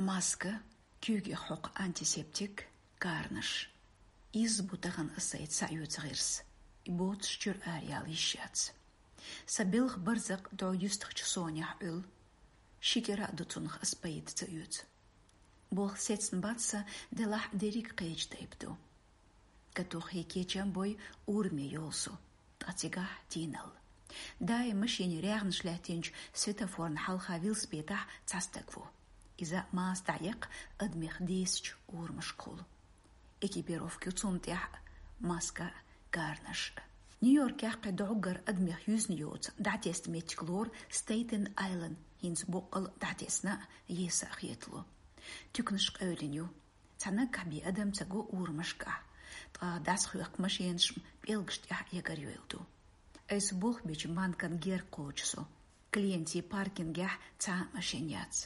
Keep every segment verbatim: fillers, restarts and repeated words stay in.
Маска, куьйгех хьокху антисептик, карнаш. Изза бу тахана аса сайца схьаоьцу гӀирс. И боцуш чуьра араяла йиш яц. Сан белхан барзакъ дӀо юьстахчу Сонехь Ӏуьллу. Ши кӀира а ду цунах аса пайда ца оьцу. Болх сецна бац сан, делахь дерриг кхечу тайпа ду. Катоххий кечам бой, ураме йолу со, ткъа цигахь тийналла. Даим машенийн рагӀнаш лаьттинчу светофорна хьалха велосипедехь цхьа стаг ву. Иза маска дӀаэккха адамех десачу урамашкахула. Экипировка ю цунна тӀехь а, маска а, карнаш а. Нью-Йоркехь кхин доггара адамех юьзна йоцу дӀатесна меттиг лору Стейтен Айлен, хӀинца боккъал дӀатесна а, еса а хетало. Туьканаш къевлина ю. Цхьа наггахь бен адам ца го урамашкахь, ткъа дӀасахоьхку машенаш пӀелгаш тӀехь ягар йойла ду. Айса болх бечу банкан герга кхочу со. Клиентийн паркингехь цхьа а машен яц.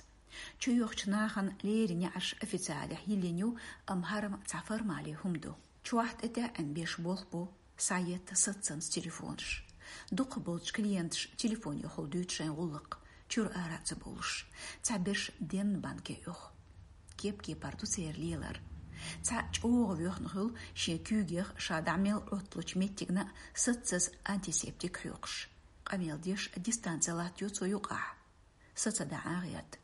Чуйохучу нахана леррина неӀарш официалехь йиллина ю, амма хӀара цхьа формали хӀума ду. Чохь тӀетаьӀӀина беш болх бу, схьаетта саццанца телефонаш. Дукхахболчу клиенташа телефонехула дуьйцу шайн гӀуллакх, чуьра ара а ца бовлуш. Цхьаберш денна банке оьху. Кеп-кепара ду церан лелар. Цхьаъ чӀогӀа воьхна хуьлу шен куьйгех ша дӀа мел Ӏотталучу меттигна а саццаза антисептик хьоькхуш. Къамел деш дистанци латтайо цо юкъахь. Са ца баьӀна гӀерта.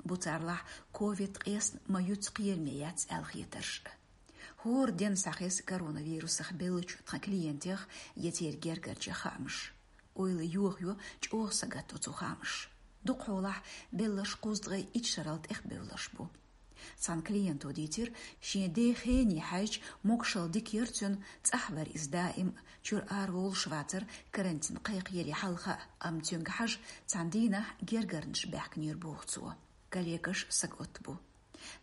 Буцарлахь ковид къесна ма юьцу кхераме яц аьлла хетарш. ХӀора денна схьахеза коронавирусах беллачу тхан клиентех я церан гергарчех хаамаш. Ойла йохайо, чӀогӀа сагатдо цу хаамаш. Дукхахьолахь белларш кхузткъе итт шарал тӀехбевлларш бу. Цхьана клиенто дийцира, шен ден хене хьаьжча могушалла дика яра цуьнан, цӀахь вара иза даим, чуьра араволуш вацара карантин кхайкхаяран хьалха а, амма цуьнга хьажа цхьана дийнахь гергарнаш баьхкинера боху цо. Коллегаш сагатта бу.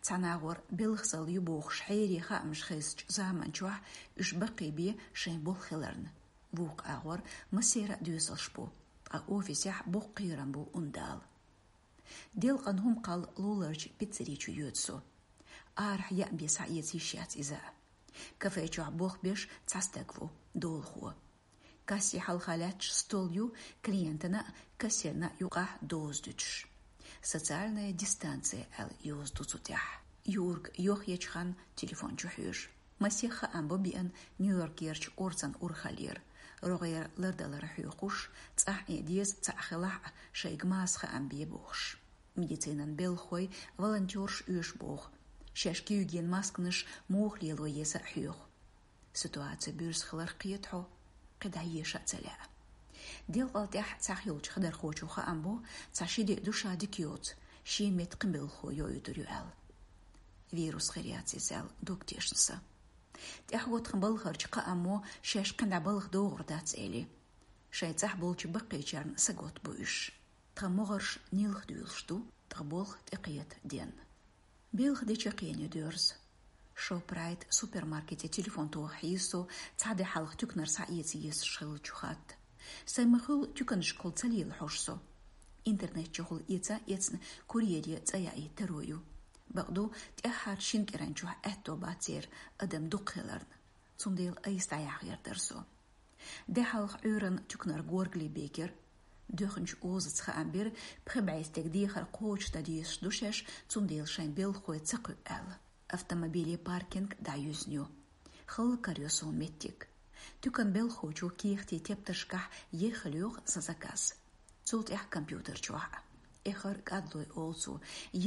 Цхьана агӀор белхасалла ю бохуш хьерий хаамаш хезачу заман чохь уьш баккхийбе шайн болх хиларна. Вукху агӀор массеран а доьзалш бу, ткъа офисехь боккха кхерам бу, ундала. Делкъан хӀума кхалла луларчу пиццери чу йоьду со. Арахь яа бен схьаэца йиш яц иза. Кафе чохь болх беш цхьа стаг ву, долахо. Касси хьалха лаьтташ стол ю, клиентана а, кассирна а юкъахь доза дуьтуш. Социальная дистанция аьлла йоза ду цу тӀехь. Юрг йохъечу хан телефон чу хьоьжу. Масех хаам бу биъна Нью-Йоркерчу орцан урхаллера, рогӀера лардалар хьоькхуш, цӀахь Ӏен деза цхьаъ хилахь а, шайга маса хаам бе бохуш. Медицинан белхахой, волонтёрш оьшу боху. Шаьш куьйган масканаш муха лело еза а хьоьху. Ситуаци буьрса хиларх кхета хьо, кхидӀа еша а ца лаьа. Делкъал тӀехь цхьаъ йолчу хадархочо хаам бо, цхьа ши де ду ша дика йоцу, шен метта кхин белхахо йоуьйтур ю аьлла. Вирус хир яц иза аьлла, дог тешна сан. ТӀаьхьо тхан балхарчу кхааммо шаьш кхин дӀа балха догӀур дац эли. Шайн цӀахь болчу баккхийчарна саготта бу уьш. Тхан могӀарш нилха дуьйлуш ду, тхан болх тӀекхета денна. Белха де чекхъен ю доьрза. Шопрайт супермаркете телефон тоха хьийза со, цхьа де хьалха туьканара схьаэца езаш хиллачу хатта. Сайн ма-хуьллу туьканашкахула ца лела хьожу со. Интернет чухула эца а эцна, курьере цӀа яийта таро ю. Бакъду, тӀаьххьарчу шина кӀиран чохь аьтто бац церан адам дукха хиларна. Цундела айса дӀаяхьа гӀертара со. Де хьалха Ӏуьйранна туьканара горгали бекира. Доьхначу озаца хаам бира, пхи бӀе стеган дехар кхочушдан дезаш ду шаьш, цундела шайн белхахой ца кхуьу аьлла. Автомобиле паркинг дӀаюьзна ю. Халла карайо суна меттиг. Туькан белхахочо кехатийн тептаршкахь еххала йоху сан заказ. Цул тӀаьхьа компьютер чохь а. Эххар кӀадлой олу цо,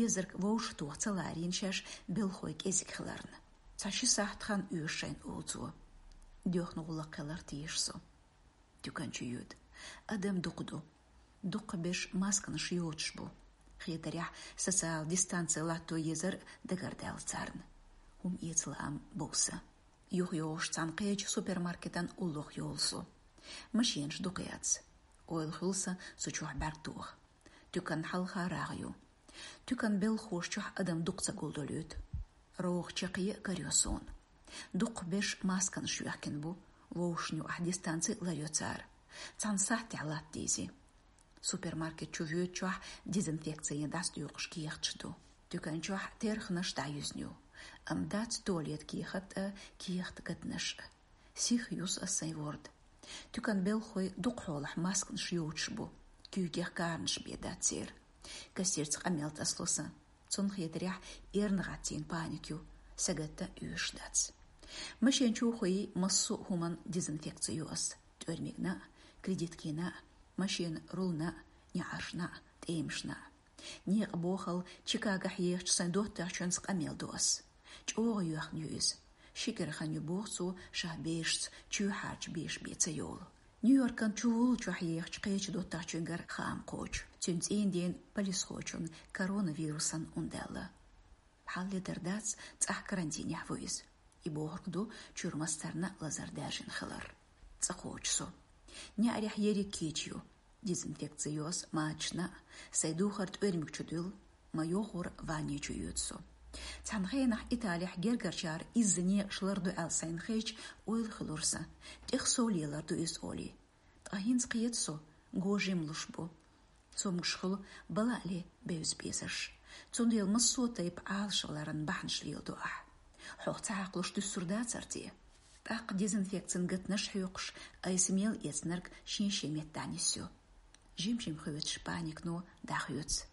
езарг вовшахтоха ца ларийна шаьш белхахой кӀезиг хиларна. Цхьа ши сахьт хан оьшу шайна олу цо. Доьхна гӀуллакх хилар теша со. Туькан чу йоьду. Адам дукха ду. Дукхахберш масканаш йоцуш бу. Хетарехь, социал дистанци латто езар дагардаьлла царна. ХӀума эца лаам бовса. ЮхайогӀуш цхьана кхечу супермаркетан уллохь йолу со. Машенаш дукха яц. Ойла хуьлу сан цу чохь бӀаьрг тоха. Туьканна хьалха рагӀ ю. Туькан белхахоша чохь адам дукха ца гулдолуьйту. РогӀу чекхъе а карайо суна. Дукхахберш масканаш йоьхкина бу, вовшашна юкъахь дистанци а ларйо цара. Цхьана сахьтехь латта дийзи. Супермаркет чу воьдучохь дезинфекци дӀасадоькъуш кехаташ ду. Туькан чохь терханаш дӀаюьзна ю. Амма дац туалет кехат а, кехат гатанаш а. Сиха юсу ас сайн ворда. Туькан белхахой дукхахьолахь масканаш йоцуш бу. Куьйгех карнаш бен дац церан. Кассирца къамел тасало сан. Цунна хетарехь, эрна гӀаттийна паника ю, сагатта оьшуш дац. Машен чу хӀоттийна массо а хӀуманна дезинфекци йо ас: тӀоьрмигна а, кредиткина а, машенан рулна а, неӀаршна а, тӀемашна а. Некъан бохал Чикагохь ехачу сайн доттагӀчуьнца къамел до ас. ЧӀогӀа йоьхна ю иза. Ши кӀира хан ю, боху цо, ша берашца чоьхьарчу беша бен ца йолу. Нью-Йоркан чувуллачохь ехачу кхечу доттагӀчуьнгара хаам кхочу. Цуьнан цӀийнан дена полисхочунна коронавирусан ун даьлла. Хьалха ледара дац, цӀахь карантинехь ву иза. И бохург ду чуьра мастарна а лазар даьржина хилар. ЦӀа кхочу со. НеӀарехь ерриг кийча ю. Дезинфекци йо ас мачашна а, сайн духар тӀоьрмиг чу дуьллу, ма йогӀура ванне чу йоьду со. Цхьана хенахь Италехь гергарчара изза некъаш ларду аьлла сайна хезча, ойла хуьлура сан, тӀех сов лелар ду иза олий. Ткъа хӀинца кхета со, го жима луш бу. Цомгуш хуьлу бала а ле бевза безарш. Цундела массо а тайпа Ӏалашваларан бахьанаш леладо ахь. Хьох ца хьакхалуш дуьсур дацара те? ТӀаккха дезинфекцин гатанаш хьоькхуш, айса мел эцнарг шен-шен меттехь нисйо. Жим-жим хоьцуш паникано дӀахоьцу.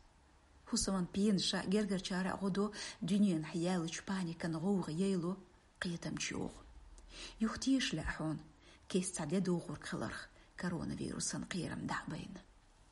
ХӀусаман пенаша гергарчара а гӀо до, дуьненахь яьллачу паникан гӀовгӀа яйло, кхетам чуйогӀу. Юха теша лаьа хьуна, кест цхьа де догӀург хиларх, коронавирусан кхерам дӀа а байна.